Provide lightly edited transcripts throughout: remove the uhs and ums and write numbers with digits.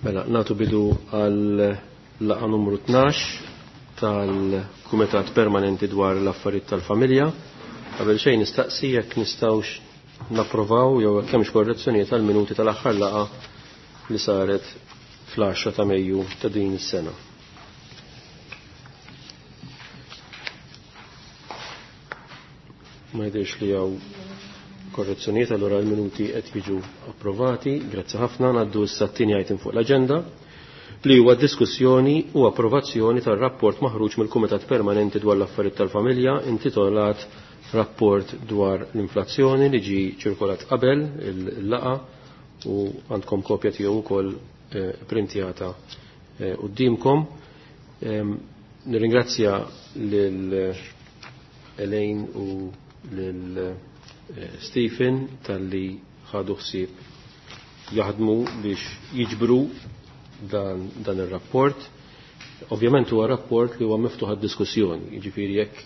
Mela, natu bidu għal laqa numru 12 tal-Kumitat Permanenti dwar l-Affarijiet tal-Familja. Qabel xejn nistaqsi jekk nistgħux napprovaw jew jekk hemmx korrezzjonijiet tal-minuti tal-aħħar laqa li saret fl-10 ta' Mejju ta' din is-sena. Ma jidhirx li hawn korrezzjonijiet allura l-minuti qed jiġu approvati. Grazzi ħafna ngħaddu issa t-tieni item fuq l-aġenda li huwa diskussjoni u approvazzjoni tar-rapport maħruġ mill-Kumitat Permanenti dwar l-Affarijiet tal-Familja intitolat Rapport dwar l-inflazzjoni li ġi ċirkolat qabel il-laqa u għandkom kopja tiegħu wkoll eh, printjata eh, qudiemkom. Nirringrazzja lil Elaine u lil eh, Stephen talli ħadu ħsieb jaħdmu biex jiġbru dan, dan ir-rapport. Ovvjament huwa rapport li huwa miftuħ għad-diskussjoni, jiġifieri jekk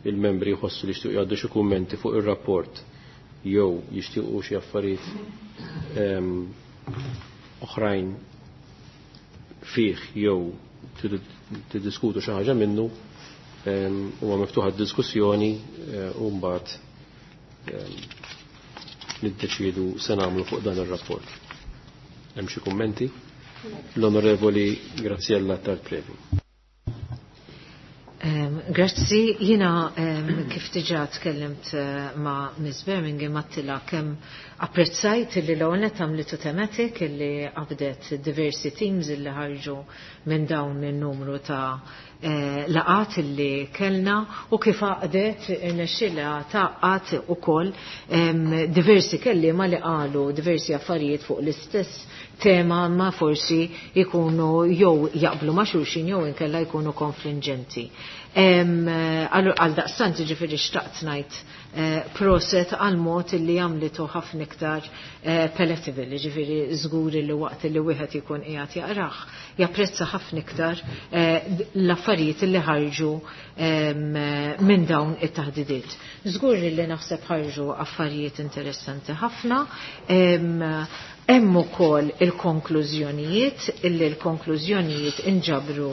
il-membri jħossu li jixtiequ jgħaddu xi kummenti fuq ir-rapport jew jixtiequ xi affarijiet ehm, oħrajn fih jew tiddiskutu xi ħaġa minnu ehm, huwa miftuħ għad-diskussjoni eh, u mbagħad ehm, niddeċiedu se nagħmlu fuq dan ir-rapport. Hemm xi kummenti? L-Onorevoli Graziella Tarprevi. Grazzi, jina kif diġa tkellimt eh, ma' Ms. Birmingham għattila kem apprezzajt li l-għonet għamlitu tematik li għabdet diversi teams li ħarġu minn dawn il-numru ta' eh, laqat li kellna u kif għaqdet irnexxilha taqqat ukoll diversi kelliema li qalu diversi affarijiet fuq l-istess tema ma forsi jkunu jew jaqblu ma' xulxin jew inkella jkunu konfliġenti. Għal daqstant ġifieri xtaqt ngħid eh, proset għal mod li għamlitu ħafna iktar eh, palatable, ġifieri żgur li waqt li wieħed ikun qiegħed jaqrah japprezza ħafna iktar eh, l-affarijiet li ħarġu minn dawn it-taħdidiet. Żgur li naħseb ħarġu affarijiet interessanti ħafna. Hemm ukoll il-konklużjonijiet illi l-konklużjonijiet inġabru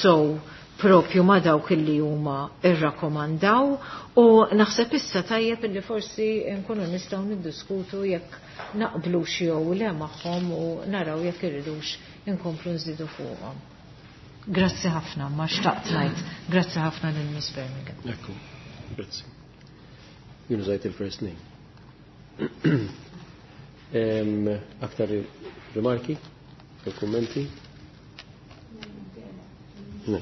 sow propju ma dawk illi huma irrakkomandaw u naħseb issa tajjeb illi forsi nkunu nistgħu niddiskutu jekk naqblux jew le magħhom u naraw jekk irridux inkomplu nżidu fuqhom. Grazzi ħafna, ma xtaqt ngħid. Grazzi ħafna lil Miss Birmingham. Ekku, grazzi. Jien użajt il-first name. Aktar rimarki? Kummenti? Ne.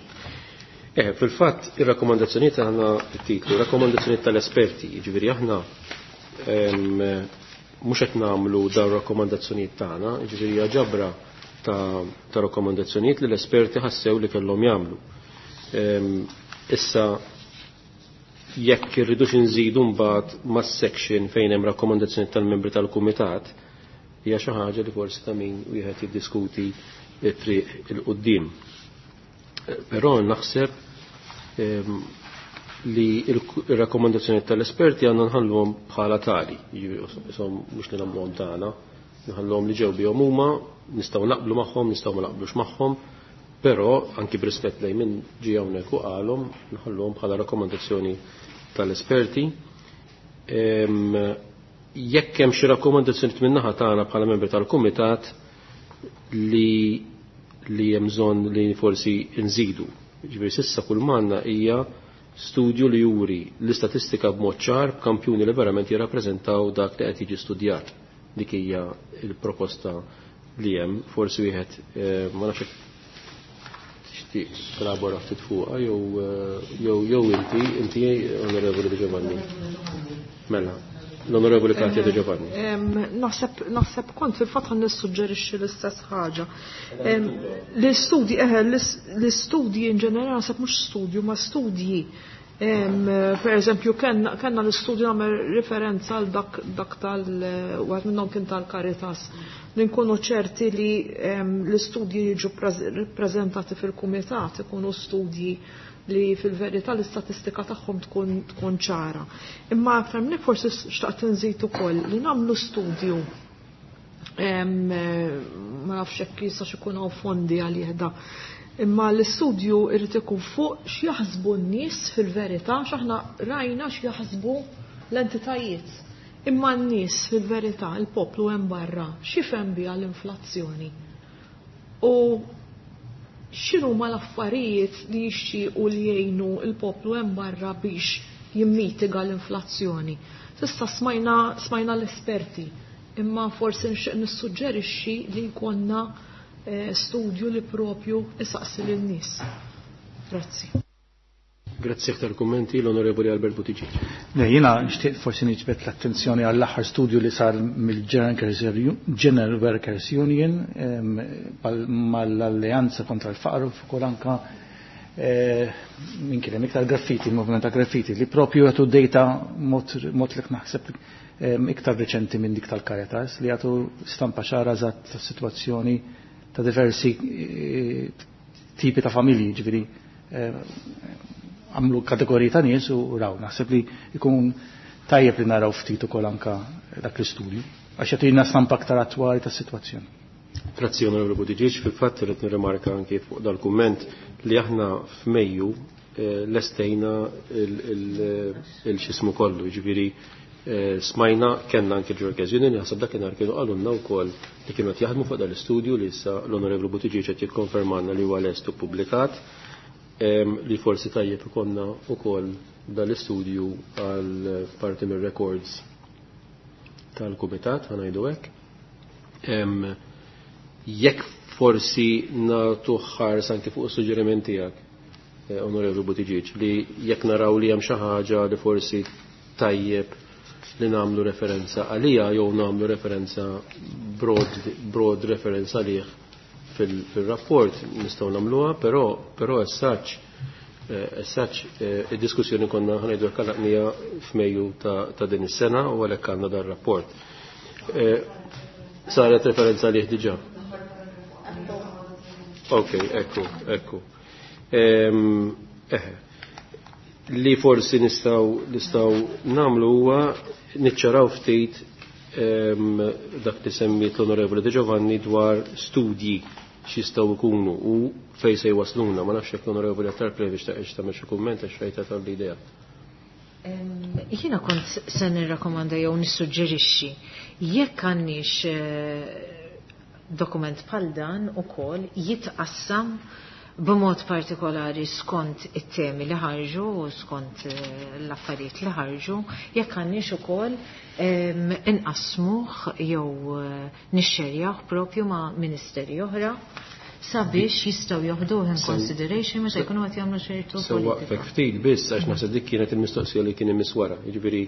Eh, fil-fatt, ir-rakkomandazzjonijiet aħna it-titlu, rakkomandazzjonijiet tal-esperti, jiġifieri aħna mhux qed nagħmlu dawn rakkomandazzjonijiet tagħna, jiġifieri hija ġabra ta', ta rakkomandazzjonijiet li l-esperti ħassew li kellhom jagħmlu. Issa jekk irridux inżidu mbagħad mas-section fejn hemm rakkomandazzjoni tal-membri tal-kumitat, hija xi ħaġa li forsi ta' min wieħed jiddiskuti t-triq il-qudiem. Però naħseb li il-rakkomandazzjoni tal-esperti għandna nħalluhom bħala tali, jiġifieri isom mhux li nagħmluhom tagħna, nħalluhom li ġew bihom huma, nistgħu naqblu magħhom, nistgħu ma naqblux magħhom, però anki b'rispett lejn min ġie hawnhekk u qalhom nħalluhom bħala rakkomandazzjoni tal-esperti. Jekk hemm xi rakkomandazzjoni min-naħa tagħna bħala membri tal-kumitat li li hemm bżonn li forsi nżidu. Ġifieri s'issa kull m'għandna hija studju li juri l-istatistika b'mod ċar b'kampjuni li verament jirrappreżentaw dak li qed jiġi studjat. Dik hija l-proposta li hemm, forsi wieħed eh, ma nafx tixtieq telabora ftit fuqha jew eh, jew jew inti, inti Onorevoli Di Giovanni. Mela, l-Onorevoli Katia Di Giovanni. Naħseb naħseb kont fil-fatt ħan nissuġġerixxi l-istess ħaġa. L-istudji eħe l-istudji in ġenerali naħseb mhux studju ma studji. Per eżempju kellna l-istudju nagħmel referenza għal dak dak tal wieħed minnhom kien tal-Caritas li nkunu ċerti li l-istudji jiġu ppreżentati fil-kumitat ikunu studji li fil-verità l-istatistika tagħhom tkun tkun ċara. Imma aktar minn hekk forsi xtaqt inżid ukoll li nagħmlu studju ma nafx jekk jistax ikun hawn fondi għalih da. Imma l-istudju irid ikun fuq x'jaħsbu n-nies fil-verità, x'aħna rajna x'jaħsbu l-entitajiet. Imma n-nies fil-verità, il-poplu hemm barra, x'jifhem biha l-inflazzjoni? U x'inhuma l-affarijiet li jixtiequ li jgħinu l-poplu hemm barra biex jimmitiga l-inflazzjoni? S'issa smajna, smajna l-esperti, imma forsi nixtieq nissuġġerixxi li jkollna studju li propju isaqsi lin-nies. Grazzi. Grazzi aktar kummenti l-Onorevoli Albert Buttigieg. Ne, jiena nixtieq forsi niġbed l-attenzjoni għall-aħħar studju li sar mill-General Workers Union mal-Alleanza kontra l-Faqar u fuq anka minn kien hemm iktar graffiti, il-movement ta' graffiti, li propju jagħtu data mod li naħseb iktar reċenti minn dik tal-Caritas li jagħtu stampa ċara eżatt tas-sitwazzjoni ta' diversi tipi ta' familji, ġifieri għamlu kategoriji ta' nies u raw. Naħseb li jkun tajjeb li naraw ftit ukoll anka dak l-istudju, għax jagħtina stampa aktar attwali tas-sitwazzjoni. Grazzi Onorevoli Buttigieg, fil-fatt irrid nirrimarka anki fuq dal-kumment li aħna f'Mejju lestejna il-xismu kollu, ġifieri smajna kellna anki l-Workers Union, naħseb dakinhar kienu qalulna wkoll li kienu qed jaħdmu fuq dal-istudju li issa l-Onorevoli Buttigieg qed jikkonfermanna li huwa lest u ppubblikat, li forsi tajjeb ikonna wkoll dal-istudju għal parti mir-records tal-kumitat, ħanajdu hekk. Jekk forsi nagħtu ħars anki fuq is-suġġeriment tiegħek, Onorevoli Buttigieg, li jekk naraw li hemm xi ħaġa li forsi tajjeb li nagħmlu referenza għalija jew nagħmlu referenza broad referenza għalih fil-rapport nistgħu nagħmluha, però as such id-diskussjoni konna ħanejdu kalaqnija f'Mejju ta' din is-sena u għalhekk għandna dar rapport. Saret referenza għalih diġà. Ok, ekku, ekku. Li forsi nistgħu nagħmlu huwa niċċaraw ftit dak li semmiet l-Onorevoli De Giovanni dwar studji x'jistgħu jkunu u fejn se jwasluna. Ma nafx jekk l-Onorevoli Attard Previ xtaqet tagħmel xi kumment għax rajtha tal-idea. Jiena kont se nirrakkomanda jew nissuġġerixxi jekk għandniex dokument bħal dan ukoll jitqassam b'mod partikolari skont it-temi li ħarġu u skont l-affarijiet li ħarġu, jekk għandniex ukoll inqasmuh jew nixxerjah propju ma' ministeri oħra sabiex jistgħu joħduh in consideration meta jkunu qed jagħmlu ċertu So politika. waqfek ftit biss għax naħseb dik kienet il-mistoqsija li kien imiss wara. Jiġifieri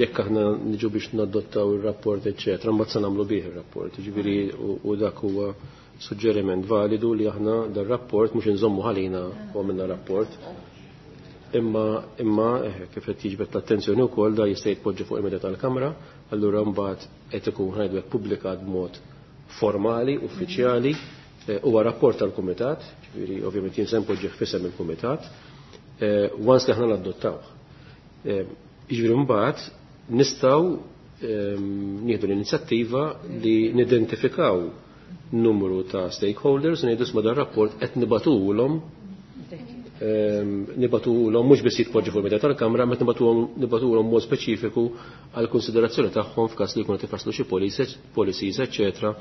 jekk aħna niġu biex nadottaw ir-rapport eċċetera, mbagħad se nagħmlu bih ir-rapport. Jiġifieri u dak huwa suġġeriment validu li aħna dar-rapport mhux inżommu ħalina u għamilna rapport. Imma kif qed jiġbed l-attenzjoni wkoll da jista' jitpoġġa fuq il-medja tal-Kamra, allura mbagħad qed ikun ħajdu hekk pubblikat b'mod formali, uffiċjali, huwa rapport tal-Kumitat, ġifieri ovvjament jien se npoġġih f'isem il-Kumitat, once li aħna nadottawh. Jiġifieri mbagħad nistgħu nieħdu l-inizjattiva li nidentifikaw numru ta' stakeholders u ngħidu isma' dan rapport qed nibatulhom nibatulhom mhux biss jitpoġġi fuq il-medja tal-Kamra, ma nibatulhom mod speċifiku għal konsiderazzjoni tagħhom f'każ li jkunu qed ifasslu xi policies, eċċetera,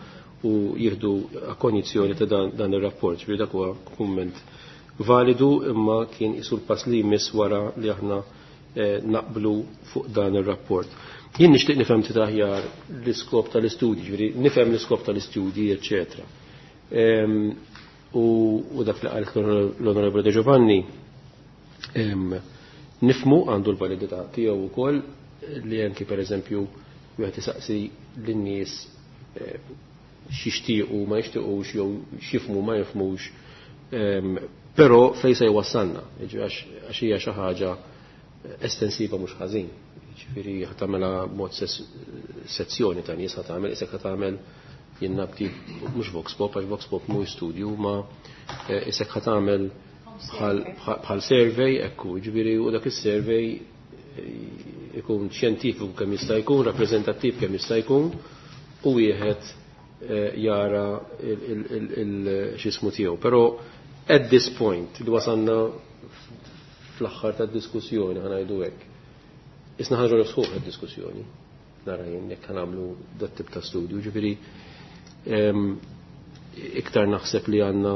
u jieħdu konjizzjoni ta' dan ir-rapport. Ġifieri dak huwa kumment validu imma kien isu l-pass li jmiss wara li aħna naqblu fuq dan ir-rapport. Jien nixtieq nifhem ftit aħjar l-iskop tal-istudji, ġifieri nifhem l-iskop tal-istudji, eċċetera. U dak li qalet l-Onorevole De Giovanni, nifmu għandu l-validità tiegħu wkoll li anki pereżempju wieħed isaqsi lin-nies x'jixtiequ ma jixtiequx jew x'jifhmu ma jifhmux, però fejn se jwassalna, jiġifieri għax hija xi ħaġa estensiva mhux ħażin. Jiġifieri ħa tagħmilha b'mod sezzjoni ta' nies ħa tagħmel, isek ħa tagħmel jien nabti mhux vox pop, għax vox pop mhux studju, ma isek ħa tagħmel bħal survey, ekku, jiġifieri u dak is-survey ikun xjentifiku kemm jista' jkun, rappreżentattiv kemm jista' jkun, u wieħed jara x'ismu tiegħu. Però at this point li wasanna fl-aħħar tad-diskussjoni ħa ngħidu hekk. Isna ħarġu nifsħuh id-diskussjoni. Nara jien jekk nagħmlu dat tip ta' studju, ġifieri iktar naħseb li għandna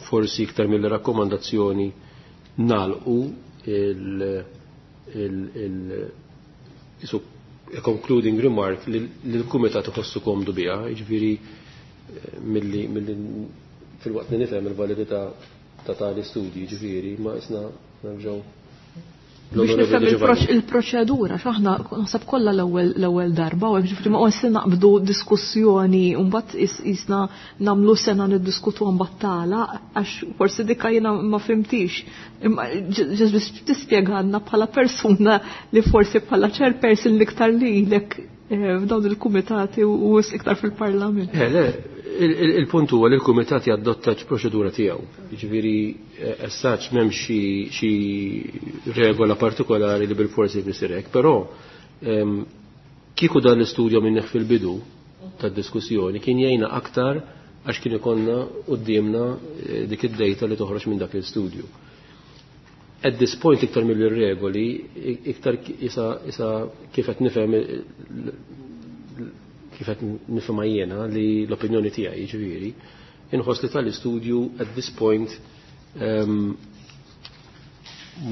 forsi iktar mill-rakkomandazzjoni nalqu il concluding remark li l-kumitat iħossu komdu biha, jiġifieri milli fil-waqt li nifhem il-validità ta' tali studji, ġifieri ma isna nerġgħu. Biex nifhem il-proċedura, x'aħna naħseb kollha l-ewwel darba, u hekk ġifieri ma qosni naqbdu diskussjoni u mbagħad isna nagħmlu sena niddiskutu mbagħad tagħlaq għax forsi dikka jiena ma fimtix. Imma ġest biex tispjegalna bħala persuna li forsi bħala chairperson l-iktar lilek f'dawn il-kumitati u iktar fil-parlament. Le, il-punt huwa li l-kumitat jadotta proċedura tiegħu. Jiġifieri as such m'hemm xi regola partikolari li bil-forsi jsir hekk, però kieku dan l-istudju minneħ fil-bidu tad-diskussjoni kien jgħinna aktar għax kien ikollna quddiemna dik id-data li toħroġ minn dak l-istudju. At this point iktar mill-regoli, iktar isa kif qed nifhem kif qed nifhimha jiena li l-opinjoni tiegħi jiġifieri, inħoss li tal-istudju at this point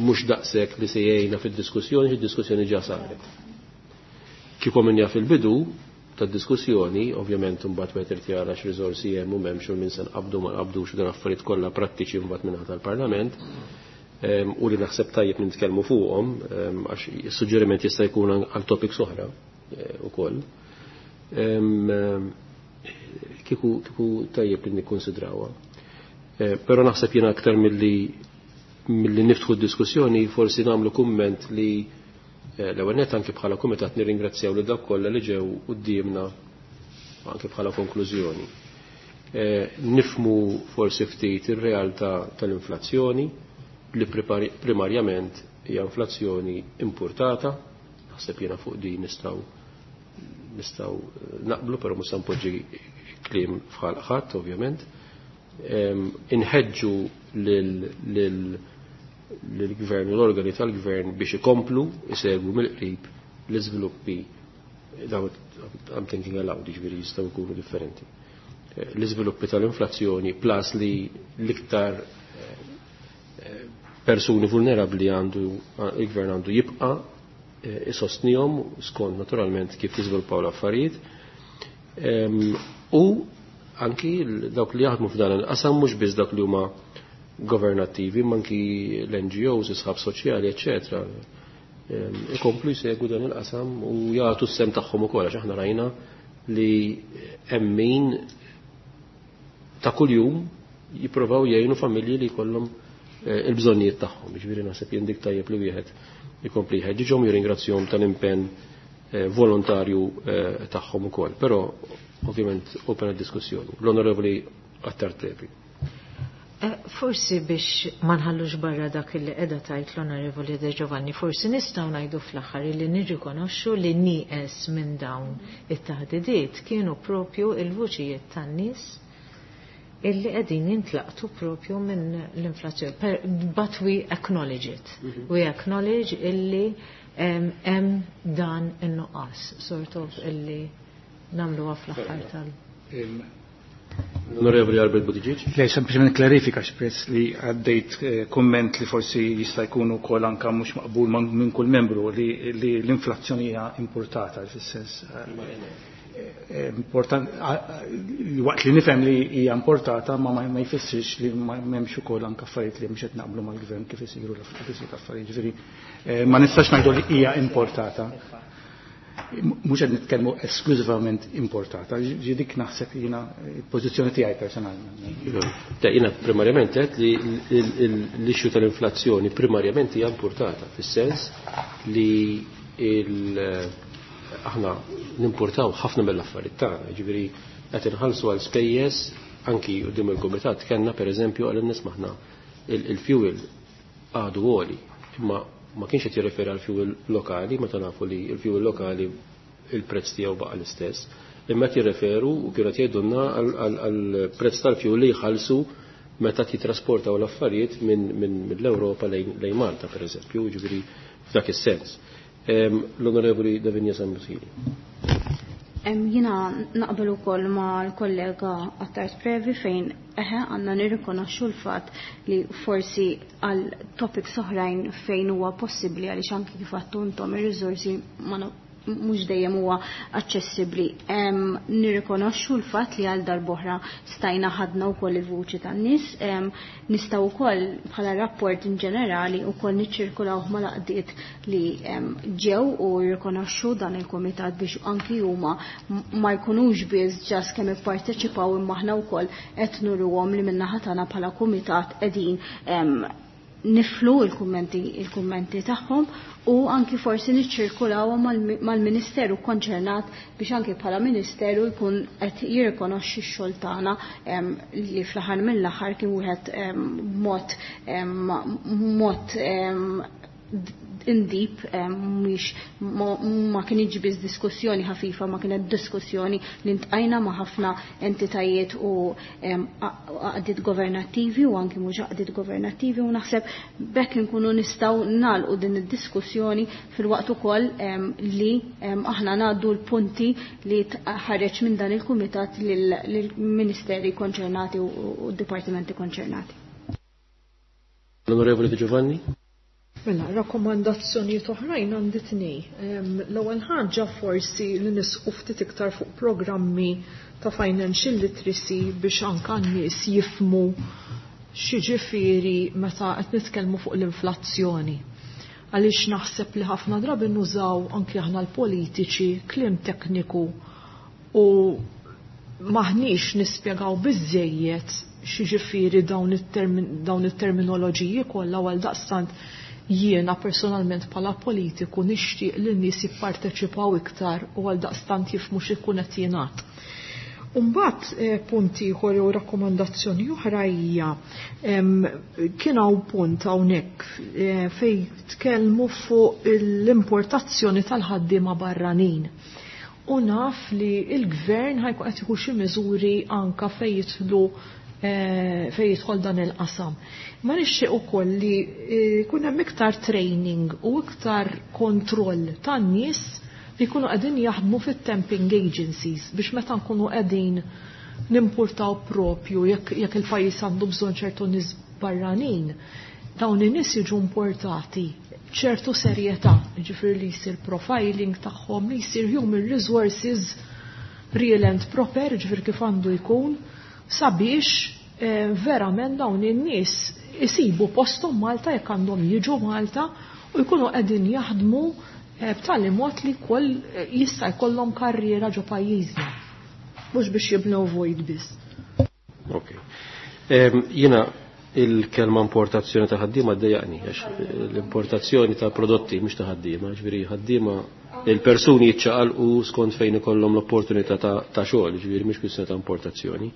mhux daqshekk li se jgħinna fid-diskussjoni, fid-diskussjoni ġa saret. Kieku minja fil-bidu tad-diskussjoni, ovvjament imbagħad wieħed irid jara x'riżorsi hemm u m'hemmx u min se nqabdu ma nqabdux u dan affarijiet kollha prattiċi mbagħad minn tal-Parlament. U li naħseb tajjeb nitkellmu fuqhom għax is-suġġeriment jista' jkun għal topics oħra ukoll. Kieku tajjeb li nikkonsidrawha. Però naħseb jiena aktar milli niftħu d-diskussjoni forsi nagħmlu kumment li l-ewwel nett anke bħala kumitat nirringrazzjaw lil dawk kollha li ġew quddiemna anke bħala konklużjoni. Nifmu forsi ftit ir-realtà tal-inflazzjoni li primarjament hija inflazzjoni importata, naħseb jiena fuq din nistgħu naqblu, però mhux se npoġġi kliem f'ħalq ħadd ovvjament. Inħeġġu lill-gvern u l-organi tal-gvern biex ikomplu isegwu mill-qrib l-iżviluppi, I'm thinking aloud, jiġifieri jistgħu jkunu differenti. L-iżviluppi tal-inflazzjoni plus li l-iktar persuni vulnerabbli għandu il-gvern għandu jibqa' isostnihom skont naturalment kif jiżviluppaw l-affarijiet. U anki dawk li jaħdmu f'dan il-qasam mhux biss dawk li huma governattivi, ma anki l-NGOs, is-sħab soċjali, eċċetera. Ikomplu jsegwu dan il-qasam u jagħtu s-sem tagħhom ukoll għax aħna rajna li hemm min ta' kuljum jippruvaw jgħinu familji li jkollhom il-bżonnijiet tagħhom. Jiġifieri naħseb jien dik tajjeb li wieħed ikompli jħeġġiġhom, jirringrazzjahom tal-impenn volontarju tagħhom ukoll. Però ovvjament open għad-diskussjoni. L-Onorevoli Attard Trepi. Forsi biex ma nħallux barra dak li qiegħda tajt l-Onorevoli De Giovanni, forsi nistgħu ngħidu fl-aħħar li nirrikonoxxu li nieqes minn dawn it-taħdidiet kienu propju il-vuċijiet tan-nies illi qegħdin jintlaqtu propju minn l-inflazzjoni. But we acknowledge it. We acknowledge illi hemm dan in-nuqqas, sort of illi nagħmluha fl-aħħar tal. Onorevoli Albert Buttigieg. Le, sempliċement klarifika xpress li għaddejt komment li forsi jista' jkun ukoll anke mhux maqbul minn kull membru li l-inflazzjoni hija importata, fis-sens important, waqt li nifhem li hija importata ma jfissirx li m'hemmx ukoll anke affarijiet li mhux qed naqblu mal-gvern kif isiru l-affarijiet. Ġifieri ma nistax ngħidu li hija importata. Mhux qed nitkellmu esklużivament importata, ġi dik naħseb jiena l-pożizzjoni tiegħi personalment. Jiena primarjament qed li l-issue tal-inflazzjoni primarjament hija importata, fis-sens li aħna nimportaw ħafna mill-affarijiet tagħna, jiġifieri qed inħallsu għal spejjeż anki quddiem il-kumitat kellna pereżempju għal nies maħna il-fuel għadu għoli, imma ma kienx qed jirreferi għal fuel lokali, meta nafu li l-fuel lokali il-prezz tiegħu baqa' l-istess. Imma qed jirreferu u kienu qed jgħidulna għall-prezz tal-fuel li jħallsu meta titrasportaw l-affarijiet mill-Ewropa lejn Malta, per eżempju, ġifieri f'dak is-sens. L-Onorevoli Davinia Sammut-Hili. Jiena naqbel ukoll ma' l-kollega Attard Previ fejn eħe għandna nirrikonoxxu l-fatt li forsi għal topics oħrajn fejn huwa possibbli għaliex anki kif għattu intom ir-riżorsi ma mhux dejjem huwa aċċessibbli. Nirrikonoxxu l-fatt li għal darb'oħra stajna ħadna wkoll il-vuċi tan-nies, nistgħu wkoll bħala rapport in ġenerali wkoll niċċirkulaw mal-għaqdiet li ġew u jirrikonoxxu dan il-kumitat biex anki huma ma jkunux biss ġas kemm ipparteċipaw imma aħna wkoll qed nuruhom li min-naħa tagħna bħala kumitat qegħdin niflu il-kummenti il-kummenti tagħhom u anki forsi niċċirkulaw mal-Ministeru konċernat biex anki bħala Ministeru jkun qed jirrikonoxxi x-xogħol tagħna li fl-aħħar mill-aħħar kien wieħed mod mod in-deep, mhix ma kienx biss diskussjoni ħafifa, ma kienet diskussjoni li ntqajna ma' ħafna entitajiet u għaqdiet governattivi u anki mhux għaqdiet governattivi u naħseb bekk inkunu nistgħu nagħlqu din id-diskussjoni fil-waqt ukoll li aħna ngħaddu l-punti li ħareġ minn dan il-kumitat lill-ministeri konċernati u d-dipartimenti konċernati. L-Onorevoli Di Giovanni? Mela, rakkomandazzjonijiet oħrajn għandi tnej. L-ewwel ħaġa forsi li nisqu ftit iktar fuq programmi ta' financial literacy biex anka n-nies jifmu x'jiġifieri meta qed nitkellmu fuq l-inflazzjoni. Għaliex naħseb li ħafna drabi nużaw anki aħna l-politiċi kliem tekniku u maħniex nispjegaw biżejjed x'jiġifieri dawn it-terminoloġiji kollha għal daqstant jiena personalment bħala politiku nixtieq li n-nies jipparteċipaw iktar u għal daqstant jifhmu x'ikun qed jingħad. Umbagħad punt ieħor jew rakkomandazzjoni oħra hija kien hawn punt hawnhekk fejn tkellmu fuq l-importazzjoni tal-ħaddiema barranin. U naf li l-gvern ħajkun qed jieħu xi miżuri anka fejn jidħlu fejn jidħol dan il-qasam. Ma nixtieq ukoll li jkun hemm iktar training u iktar kontroll tan-nies li jkunu qegħdin jaħdmu fit-temping agencies biex meta nkunu qegħdin nimpurtaw propju jekk il-pajjiż għandu bżonn ċertu nies barranin, dawn in-nies jiġu importati ċertu serjetà, jiġifieri li jsir profiling tagħhom, li jsir human resources real and proper, jiġifieri kif għandu jkun, sabiex verament dawn in-nies isibu posthom Malta jekk għandhom jiġu Malta u jkunu qegħdin jaħdmu b'tali mod li koll jista' jkollhom karriera ġo pajjiżna. Mhux biex jibnew vojt biss. Ok. Jiena il-kelma importazzjoni ta' ħaddiema ddejjaqni, għax l-importazzjoni ta' prodotti mhux ta' ħaddiema, ġifieri ħaddiema il-persuni jiċċaqalqu skont fejn ikollhom l-opportunità ta' xogħol, ġifieri mhux kwistjoni ta' importazzjoni.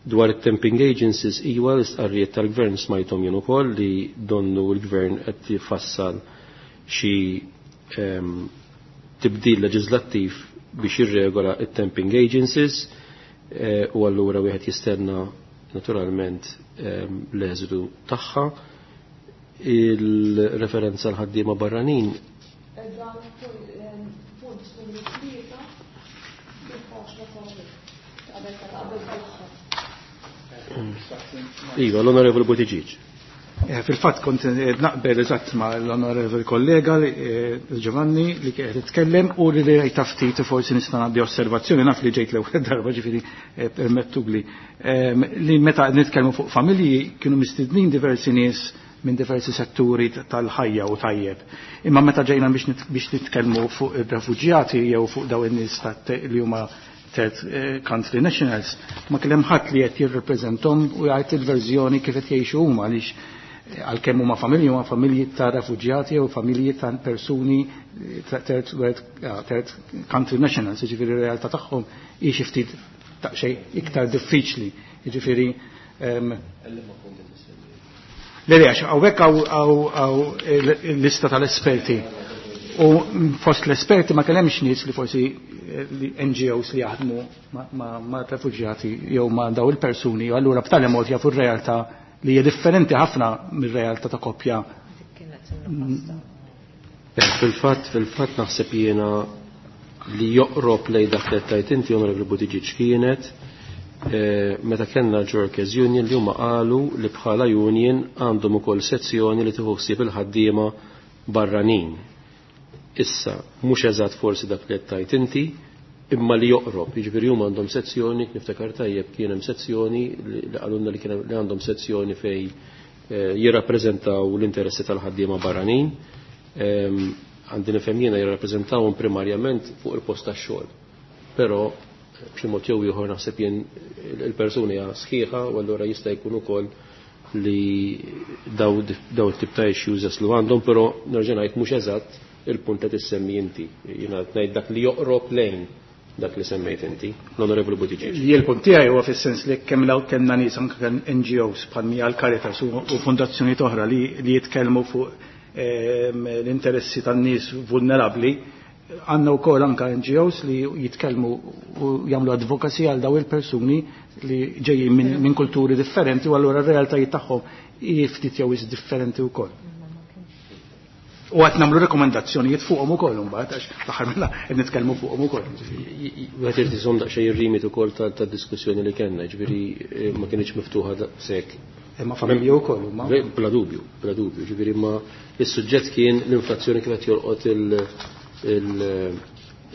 Dwar it-temping agencies, iwa l-istqarrijiet tal-gvern smajthom jien ukoll li donnu l-gvern qed jifassal xi tibdil leġislattiv biex jirregola it-temping agencies, u allura wieħed jistenna naturalment l-eżitu tagħha. Il-referenza l-ħaddiema barranin. Iva, l-Onorevoli Buttigieg. Fil-fatt kont naqbel eżatt ma' l-Onorevoli kollega Giovanni li qed titkellem u li rejta ftit forsi nista' ngħaddi osservazzjoni, naf li ġejt l-ewwel darba ġifieri permettuli li meta nitkellmu fuq familji kienu mistednin diversi nies minn diversi setturi tal-ħajja u tajjeb. Imma meta ġejna biex nitkellmu fuq ir-refuġjati jew fuq dawn in-nies li huma third country nationals, ma kellem ħadd li qed jirrepreżentom u jgħid il-verżjoni kif qed jgħixu huma għaliex għalkemm huma familji, huma familji ta' refuġjati jew familji ta' persuni third world, third country nationals, jiġifieri r-realtà tagħhom hi xi ftit daqsxejn iktar diffiċli. Jiġifieri, le, le, għax hawnhekk hawn l-lista tal-esperti. U fost l-esperti ma kellemx nies li forsi NGOs li jaħdmu ma' refuġjati jew ma' daw il-persuni, u allura b'tali mod jafu r-realtà li hija differenti ħafna mir-realtà ta' koppja. Fil-fatt naħseb jiena li joqrob lej dak li tajt inti, Onorevoli Buttigieg, kienet meta kellna l-Workers Union li huma qalu li bħala union għandhom ukoll sezzjoni li tieħu ħsieb il-ħaddiema barranin. Issa, mhux eżatt forsi dak li qed tajt inti, imma li joqrob, jiġifieri huma għandhom sezzjoni, niftakar tajjeb kien hemm sezzjoni li qalulna li kien li għandhom sezzjoni fej jirrappreżentaw l-interessi tal-ħaddiema barranin. Għandi nifhem jiena jirrappreżentawhom primarjament fuq il-post tax-xogħol. Però b'xi mod jew ieħor naħseb jien il-persuni hija sħiħa u allura jista' jkun ukoll li daw it-tip ta' issues jaslu għandhom, però nerġa' ngħid mhux eżatt il-punt li tissemmi inti. Jiena qed ngħid dak li joqrob lejn dak li semmejt inti, l-Onorevoli Buttigieg. Jien il-punt tiegħi huwa fis-sens li kemm law kellna nies anke kemm NGOs bħal mija l-Caritas u fondazzjonijiet oħra li jitkellmu fuq l-interessi tan-nies vulnerabbli, għandna wkoll anke NGOs li jitkellmu u jagħmlu advocacy għal daw il-persuni li ġejjin minn kulturi differenti u allura r-realtajiet tagħhom hi ftit jew is differenti wkoll. U għat namlu rekomendazzjonijiet fuqhom ukoll imbagħad għax l-aħħar mill qed nitkellmu fuqhom ukoll. Wieħed irid iżomm daqsxejn ir-rimit ukoll tad-diskussjoni li kellna, ġifieri ma kienx miftuħa daqshekk. Imma familji wkoll huma. Bla dubju, bla dubju, ġifieri ma is-suġġett kien l-inflazzjoni kif qed jolqot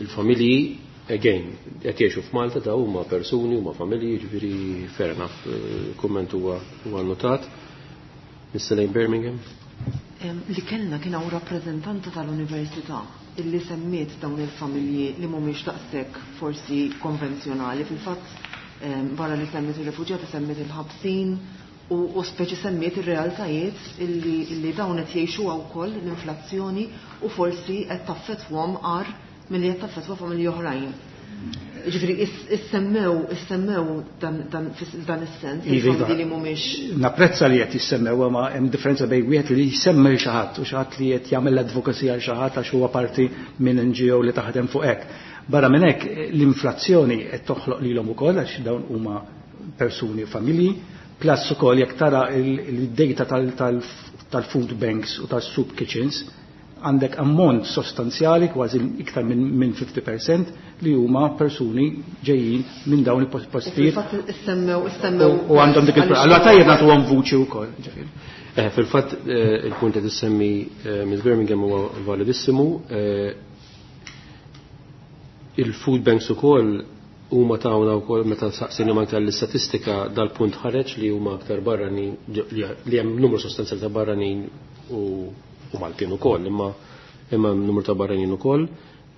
il-familji, again, qed jgħixu f'Malta ta' huma persuni, huma familji, ġifieri fair enough, kumment huwa notat. Miss Elaine Birmingham. Li kellna kien hawn rappreżentanta tal-università illi semmiet dawn il-familji li mhumiex daqshekk forsi konvenzjonali. Fil-fatt barra li semmiet ir-refuġjati semmiet il-ħabsin u speċi semmiet ir-realtajiet illi dawn qed jgħixuha wkoll l-inflazzjoni u forsi qed taffettwhom agħar milli qed taffettwa familji oħrajn. Ġifieri issemmew dan is-sens, il-familji li mhumiex. Napprezza li qed jissemmew, ma hemm differenza bejn wieħed li jsemmi xi ħadd u xi ħadd li qed jagħmel advocacy għal xi ħadd għax huwa parti minn NGO li taħdem fuq hekk. Barra minn hekk l-inflazzjoni qed toħloq lilhom ukoll għax dawn huma persuni u familji, plus ukoll jekk tara il-data tal-food banks u tas-soup kitchens, għandek ammont sostanzjali, kważi iktar minn 50% li huma persuni ġejjin minn dawn il-postijiet. Fil-fatt issemmew U għandhom dik il-pro- Allora tajjeb nagħtuhom vuċi wkoll, ġifieri. Fil-fatt il-punt li tissemmi Miss Birmingham huwa validissimu. Il-food banks ukoll huma tawna wkoll meta saqsejna anke l-istatistika dal-punt ħareġ li huma aktar barranin, li hemm numru sostanzjali ta' barranin u Maltin ukoll, imma numru ta' barranin ukoll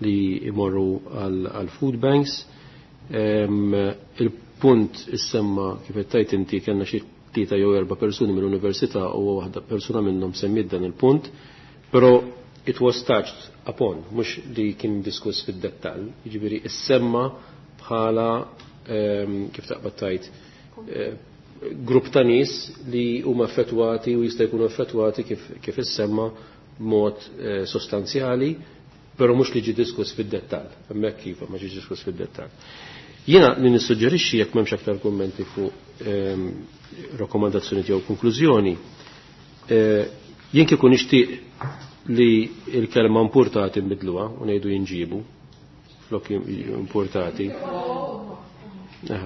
li jmorru għal food banks. Il-punt issemma kif qed tgħid inti kellna xi 3 jew 4 persuni mill-università u waħda persuna minnhom semmiet dan il-punt, però it was touched upon, mhux li kien diskuss fid-dettall, jiġifieri issemma bħala kif taqbad tgħid, grupp ta' nies li huma effettwati u jista' jkunu effettwati kif issemma b'mod sostanzjali, però mhux li ġie diskuss fid-dettall. Hemmhekk kif ma ġiex diskuss fid-dettall. Jiena li nissuġġerixxi jekk m'hemmx aktar kummenti fuq rakkomandazzjoni jew konklużjoni, jien kieku nixtieq li l-kelma importati nbidluha u ngħidu jinġibu flok importati.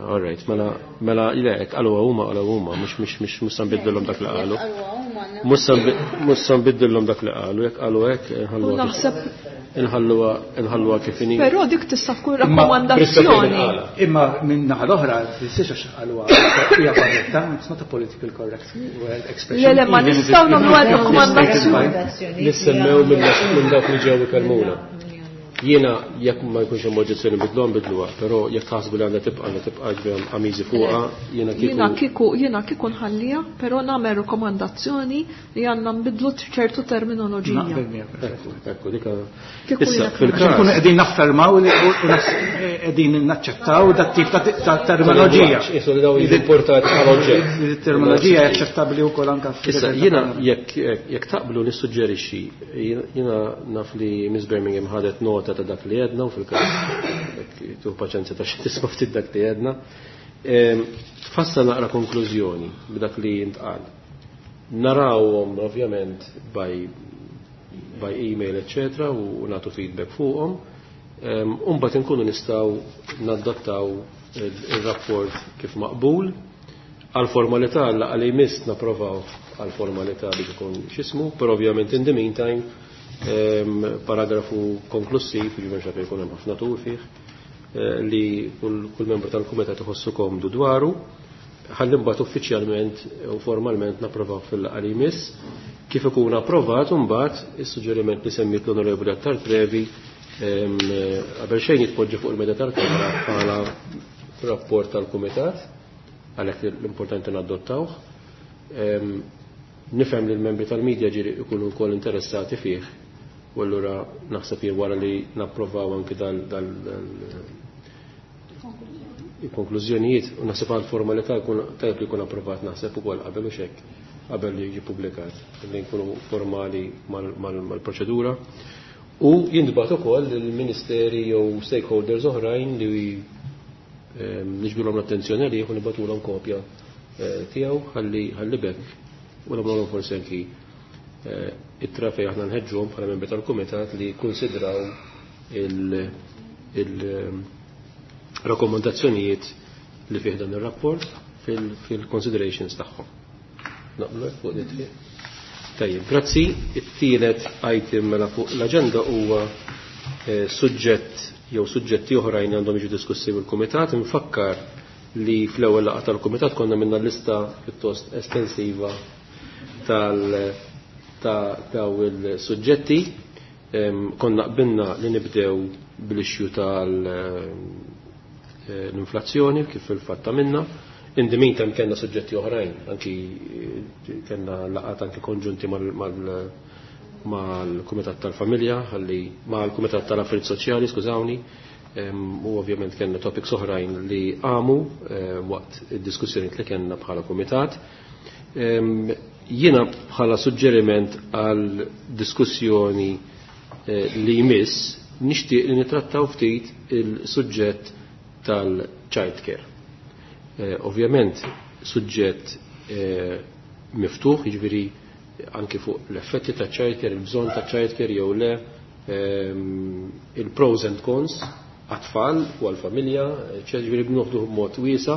All right, mela le, hekk qaluha huma, qaluha huma, mhux se nbiddilhom dak li qalu. Mhux se nbiddilhom dak li qalu, jekk qalu hekk, inħalluha U naħseb inħalluha kif inhi. Però dik tista' tkun Imma rakkomandazzjoni. Imma minn naħa l-oħra, tfissirx għax qaluha hija korretta, it's not a political correct word expression. Le, le, ma Even if nistgħu it nagħmlu is rakkomandazzjoni. Nissemmew minn dawk li ġew ikellmuna. Jiena jekk ma jkunx hemm oġġezzjoni bidluha nbidluha, però jekk taħsbu li għandha tibqa' għandha tibqa' ġbem għamiżi fuqha, jiena kieku. Jiena kieku jiena kieku nħalliha, però nagħmel rikomandazzjoni li għandna nbidlu ċertu terminoloġija. Naqbel miegħek. Ekku, ekku, dika. Kieku Issa, jiena fil-każ. Nkunu qegħdin naffermaw li u qegħdin naċċettaw dat tip ta' terminoloġija. Isu li daw jiġu importati bħala oġġett. Terminoloġija aċċettabbli wkoll anke Issa, jiena jekk jekk taqblu nissuġġerixxi, jiena naf li Miss Birmingham ħadet nota ta' dak li għedna u fil-każ jekk tuħ paċenzja ta' xi tisma' ftit dak li għedna. Tfassal naqra konklużjoni b'dak li jintqal. Narawhom ovvjament by by email, eccetera, u nagħtu feedback fuqhom. Umbagħad inkunu nistgħu nadattaw il-rapport kif maqbul. Għal formalità l li jmiss napprovaw għal formalità biex ikun x'ismu, però ovvjament in the meantime paragrafu konklusiv, jiġifieri x'għad jkun hemm ħafna tur fih, li kull membru tal-kumitat iħossu komdu dwaru, ħalli mbagħad uffiċjalment u formalment napprovaw fil-laqgħa li jmiss. Kif ikun approvat imbagħad is-suġġeriment li semmiet l-Onorevoli Attard Previ qabel xejn jitpoġġi fuq il-meda tal-Kamra bħala rapport tal-Kumitat, għalhekk l-importanti nadottawh. Nifhem li l-membri tal-medja ġieli jkunu wkoll interessati fih, u allura naħseb jien wara li napprovaw anki dal il-konklużjonijiet, u naħseb għal formalità jkun tajjeb li jkun approvat naħseb ukoll qabel u xekk qabel li jiġi ppubblikat, li nkunu formali mal-proċedura. U jintbagħat ukoll lill-ministeri jew stakeholders oħrajn li niġbdulhom l-attenzjoni għalih u nibgħatulhom kopja tiegħu ħalli bekk u nagħmluhom forsi anki ittra fejn aħna nħeġġuhom bħala membri tal-kumitat li jikkunsidraw il-rakkomandazzjonijiet li fih dan ir-rapport fil-considerations tagħhom. Naqblu hekk fuq dit triq. Tajjeb, grazzi. It-tielet item mela fuq l-aġenda huwa suġġett jew suġġetti oħrajn għandhom jiġu diskussi mill-kumitat. Infakkar li fl-ewwel laqgħa tal-kumitat konna minna lista pjuttost estensiva ta' daw il-suġġetti. Konna qbilna li nibdew bl-issue tal-inflazzjoni kif fil-fatt minna. In the meantime kellna suġġetti oħrajn, anki kellna laqgħat anki konġunti mal-Kumitat tal-Familja, ħalli mal-Kumitat tal-Affarijiet Soċjali, skużawni, u ovvjament kellna topics oħrajn li qamu waqt id-diskussjoni li kellna bħala kumitat. Jiena bħala suġġeriment għal diskussjoni li jmiss nixtieq li nitrattaw ftit il-suġġett tal-child care. Ovvjament suġġett miftuħ, jiġifieri anki fuq l-effetti ta' child care, il-bżonn ta' child care jew le, il-pros and cons għat-tfal u għal-familja, ġifieri b'noħdu b'mod wiesa,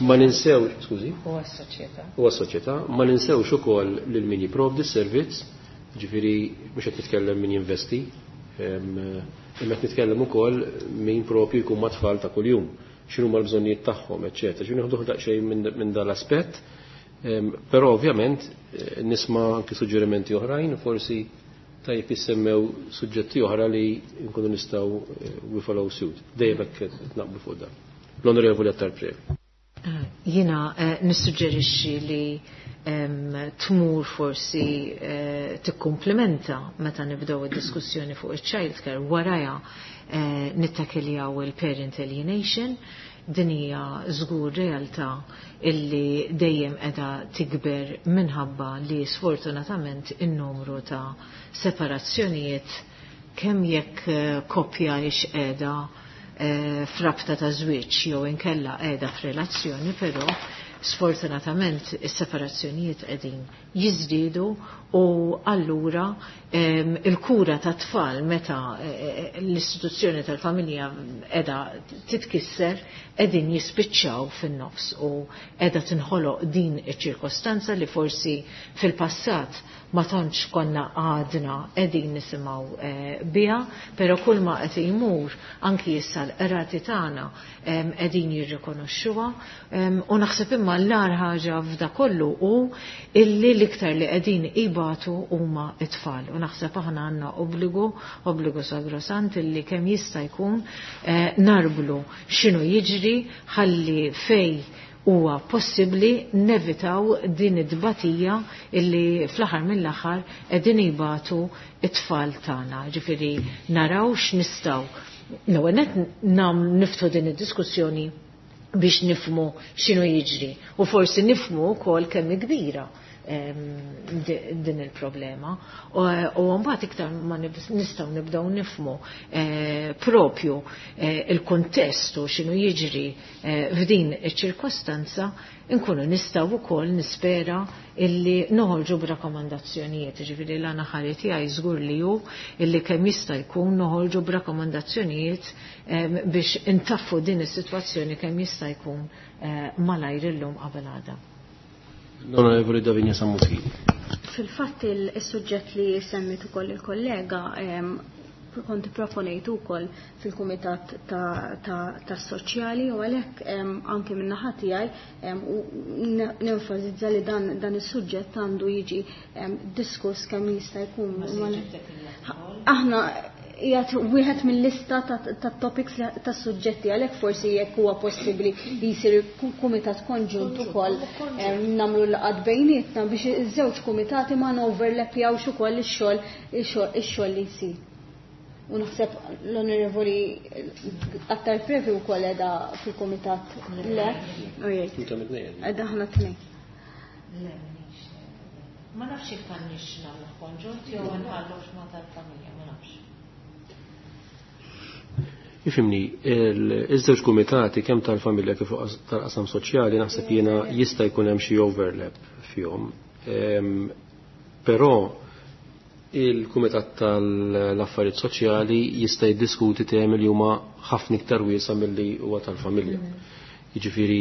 ma ninsewx, skużi? U għas-soċjetà. U għas-soċjetà, ma ninsewx ukoll lil min jipprovdi s-servizz, ġifieri mhux qed nitkellem min jinvesti, imma qed nitkellem ukoll min propju jkun mat-tfal ta' kuljum, x'inhuma l-bżonnijiet tagħhom, eċċetera. Ġifieri nieħduh daqsxejn minn dal-aspett, però ovvjament nisma' anki suġġerimenti oħrajn, forsi tajjeb jissemmew suġġetti oħra li nkunu nistgħu we follow suit. Dejjem hekk naqblu fuq dan. L-Onorevoli Attard Previ. Jiena nissuġġerixxi li tmur forsi tikkumplimenta meta nibdew id-diskussjoni fuq il-child care waraja nittakiljaw il-parent alienation. Din hija żgur realtà illi dejjem qiegħda tikber minħabba li sfortunatament in-numru ta' separazzjonijiet kemm jekk koppja hix qiegħda frabta ta' żwieġ jew inkella qiegħda f'relazzjoni, però sfortunatament is-separazzjonijiet qegħdin jiżdiedu u allura il-kura ta' tfal meta l-istituzzjoni tal-familja qiegħda titkisser qegħdin jispiċċaw fin-nofs u qiegħda tinħoloq din iċ-ċirkostanza li forsi fil-passat ma tantx konna għadna qegħdin nisimgħu biha, però kull ma qed jmur anki issa l-qrati tagħna qegħdin jirrikonoxxuha, u naħseb imma l-agħar ħaġa f'da kollu hu illi l-iktar li qegħdin ibatu huma t-tfal. U naħseb aħna għandna obbligu sagrosant illi kemm jista' jkun narblu x'inhu jiġri ħalli fej huwa possibbli nevitaw din id-dbatija illi fl-aħħar mill-aħħar qegħdin jibatu it-tfal tagħna. Ġifieri naraw x'nistgħu. L-ewwel nett niftu din id-diskussjoni biex nifmu x'inhu jiġri u forsi nifmu wkoll kemm kbira din il-problema. U mbagħad iktar ma nistgħu nibdew nifmu propju il-kuntest u x'inhu jiġri f'din iċ-ċirkostanza, nkunu nistgħu wkoll nispera illi noħorġu b'rakkomandazzjonijiet. Ġifieri l-għana ħari tiegħi żgur li hu illi kemm jista' jkun noħorġu b'rakkomandazzjonijiet biex intaffu din is-sitwazzjoni kemm jista' jkun malajr illum qabel għada. L-Onorevoli Davinia Sammuti. Fil-fatt il-suġġett li semmit ukoll il-kollega kont proponejt ukoll fil-Kumitat tas-Soċjali u għalhekk anke min-naħa tiegħi u nenfasizza li dan is-suġġett għandu jiġi diskuss kemm jista' jkun. Aħna qiegħed wieħed mill-lista tat-topics tas-suġġetti, għalhekk forsi jekk huwa possibbli li jsir kumitat konġunt ukoll nagħmlu laqgħat bejnietna biex iż-żewġ kumitati ma noverlappjawx ukoll ix-xogħol li jsir. U naħseb l-Onorevoli Attard Previ wkoll qiegħda fil-kumitat. Le? Qiegħda aħna tnejn. Le, ma nafx jekk għandniex nagħmlu konġunt jew nħallux ma tal-familja, ma nafx. Ifimni, iż-żewġ kumitati kemm tal-familja kif tal-qasam soċjali naħseb jiena jista' jkun hemm xi overlap fihom. Però il-Kumitat tal-Affarijiet Soċjali jista' jiddiskuti temi li huma ħafna iktar wiesa' milli huwa tal-familja. Jiġifieri,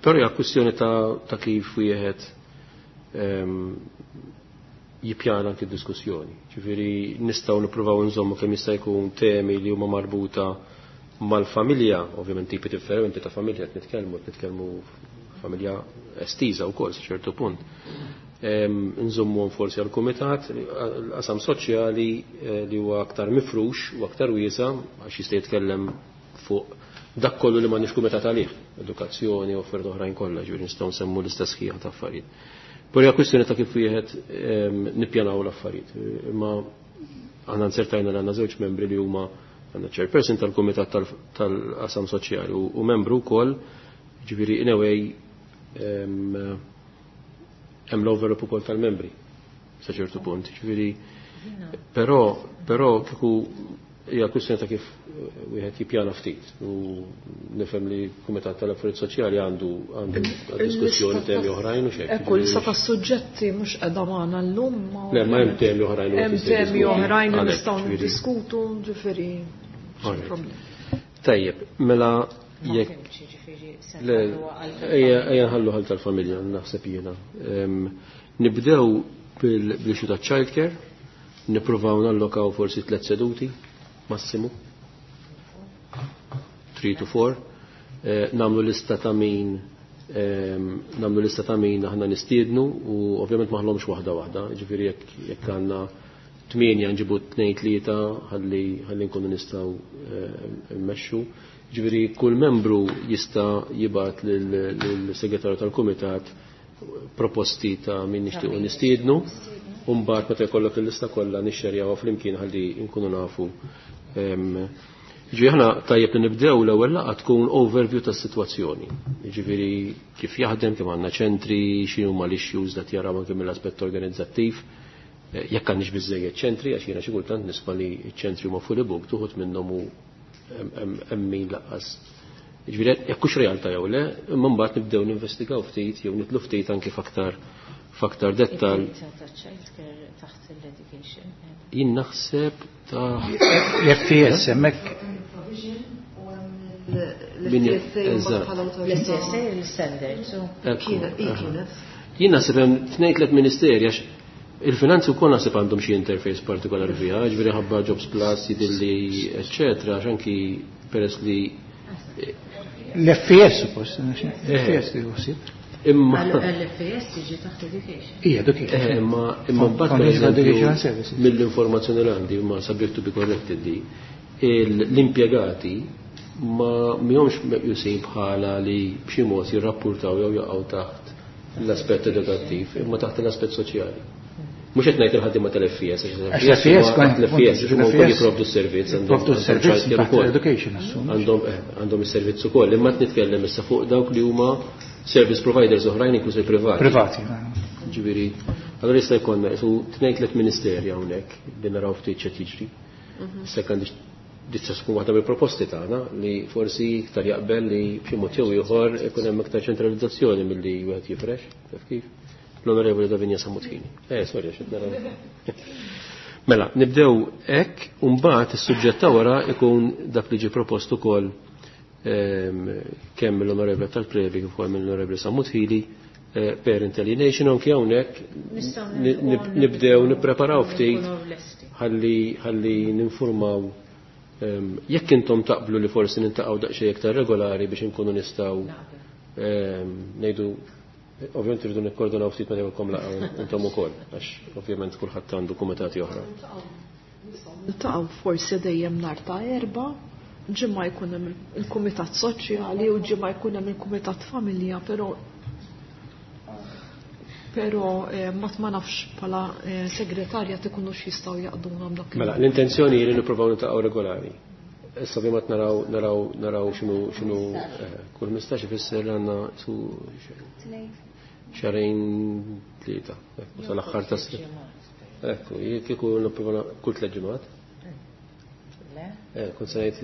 però hija kwistjoni ta' kif wieħed jippjana anki diskussjoni. Ġifieri nistgħu nippruvaw nżommu kemm jista' jkun temi li huma marbuta mal-familja, ovvjament tipi differenti ta' familja qed nitkellmu familja estiża wkoll sa ċertu punt. Nżommuhom forsi għall-kumitat, l-qasam soċjali li huwa aktar mifrux u aktar wiesa' għax jista' jitkellem fuq dak kollu li m'għandniex kumitat għalih, edukazzjoni u affarijiet oħrajn kollha, ġifieri nistgħu nsemmu l-istess ħija ta' affarijiet. Però hija kwistjoni ta' kif wieħed nippjanaw l-affarijiet. Imma aħna nsertajna li għandna żewġ membri li huma għandna chairperson tal-Kumitat tal-Qasam Soċjali u membru wkoll, ġifieri in a way hemm l-overlap ukoll tal-membri sa ċertu punt. Ġifieri però kieku hija kwistjoni ta' kif wieħed jippjana ftit u nifhem li l-Kumitat tal-Affarijiet Soċjali għandu diskussjoni temi oħrajn u xejn. Ekku, lista tas-suġġetti mhux qiegħda magħna llum. Le, ma hemm temi oħrajn u Hemm temi oħrajn li nistgħu niddiskutu, ġifieri. Tajjeb, mela jekk ejja nħallu ħal tal-familja naħseb jiena. Nibdew bil-issue ta' childcare, nippruvaw nallokaw forsi 3 seduti massimu, 3 to 4, namlu lista ta' min, namlu lista ta' min aħna nistiednu u ovvjament maħlomx waħda waħda, ġifieri jekk għandna 8 nġibu 2 3 ħalli nkunu nistgħu mmexxu. Ġifieri kull membru jista' jibgħat lill-segretarju tal-kumitat proposti ta' min nixtiequ nistiednu, u mbagħad meta jkollok il-lista kollha nixxerjawha flimkien ħalli nkunu nafu. Ġifieri aħna tajjeb li nibdew l-ewwel laqgħa tkun overview tas-sitwazzjoni. Ġifieri kif jaħdem, kemm għandna ċentri, x'inhu huma l-issues li jaraw anke mill-aspett organizzattiv. Jekk għandniex biżżejjed ċentri, għax jiena xi kultant nisma' li ċ-ċentri huma fully booked, uħud minnhom hu hemm min laqqas. Ġifieri jekk hux realtà jew le, imma mbagħad nibdew ninvestigaw ftit jew nitlu ftit anke f'aktar dettal. Jien naħseb ta' L-FTS hemmhekk. L-FTSA L-FTSA l-standards. Kienet. Jien naħseb hemm tnejn tliet ministeri għax il-finanzi wkoll naħseb għandhom xi interface partikolari fiha, ġifieri ħabba Jobs Plus, jidilli, eċċetera, għax anki peress li L-FES suppost, l-FES li ħsieb. Imma L-FES tiġi taħt education. Ija, education. Imma imma mbagħad Foundation for Educational Services. mill-informazzjoni li għandi ma subject to be corrected di l-impjegati ma mihomx meqjusin bħala li b'xi mod jirrappurtaw jew jaqgħu taħt l-aspett edukattiv, imma taħt l-aspett soċjali. Mhux qed ngħid il-ħaddiema tal-FES, Għax l-FES l-FES huma wkoll jipprovdu s-servizz, Jipprovdu s-servizz childcare taħt ukoll. l-education, assum. Għandhom għandhom is-servizz ukoll, imma qed nitkellem issa fuq dawk li huma service providers oħrajn inkluż il-privati. Privati. Ġifieri, allura jista' jkollna isu tnejn tliet ministeri hawnhekk li naraw ftit x'qed jiġri. Issa għandi tista' tkun waħda mill-proposti tagħna li forsi iktar jaqbel li b'xi mod jew ieħor ikun hemm iktar ċentralizzazzjoni milli wieħed jifrex, taf kif? L-Onorevoli Davinja Samutini. Sorry, x'qed naraw. Mela, nibdew hekk u mbagħad is-suġġett ta' wara ikun dak li ġie propost ukoll kemm mill-Onorevoli tal-Previ kif ukoll mill-Onorevoli Sammut Hili Parent Alienation anki hawnhekk nibdew nippreparaw ftit ħalli ħalli ninformaw jekk intom taqblu li forsi nintaqgħu daqsxejn iktar regolari biex inkunu nistgħu ngħidu ovvjament irridu nikkoordinaw ftit meta jkollkom laqgħa intom ukoll għax ovvjament kulħadd għandu kumitati oħra. Niltaqgħu forsi dejjem nhar ta' Erbgħa, ġimgħa jkun hemm il-kumitat soċjali u ġimgħa jkun hemm il-kumitat familja, però ma nafx bħala segretarja tikunux jistgħu jaqduna b'dak. Mela, l-intenzjoni hi li nippruvaw niltaqgħu regolari. Issa ovvjament naraw naraw naraw x'inhu x'inhu kull 15 ifisser li għandna su xahrejn tlieta, ekku sal-aħħar tas Ekku, kieku nipprova kull tliet ġimgħat. Kont se ngħid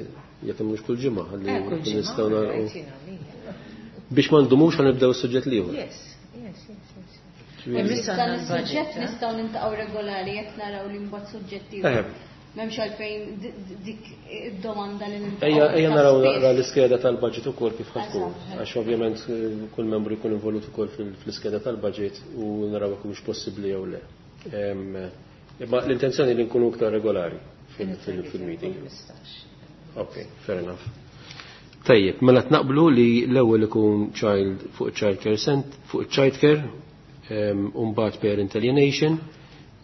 jekk mhux kull ġimgħa ħalli nistgħu nagħlqu. Biex ma ndumux ħa nibdew is-suġġett l-ieħor. Yes, yes, yes, yes. Dan is-suġġett nistgħu niltaqgħu regolari jekk naraw li mbagħad suġġetti. M'hemmx għalfejn dik id-domanda li niltaqgħu. Ejja, ejja naraw naqra l-iskeda tal-budget ukoll kif ħa tkun. Għax ovvjament kull membru jkun involut ukoll fl-iskeda tal-budget u naraw jekk mhux possibbli jew le. Imma l-intenzjoni li nkunu iktar regolari fil-meeting. Ok, fair enough. Tajjeb, mela tnaqblu li l-ewwel ikun child fuq child care cent, fuq child care, u mbagħad parent alienation,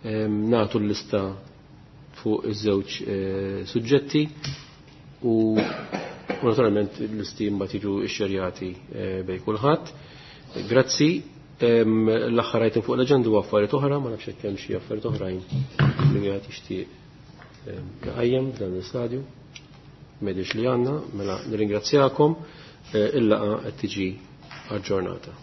nagħtu l-lista fuq iż-żewġ suġġetti u naturalment l-listi mbagħad jiġu xxerjati bejn kulħadd. Grazzi. L-aħħar item fuq l-aġenda huwa affarijiet oħra, ma nafx hekk hemm xi affarijiet oħrajn li wieħed jixtieq jqajjem f'dan l-istadju. M'għedix li għandna, mela nirringrazzjakom, il-laqgħa qed tiġi aġġornata.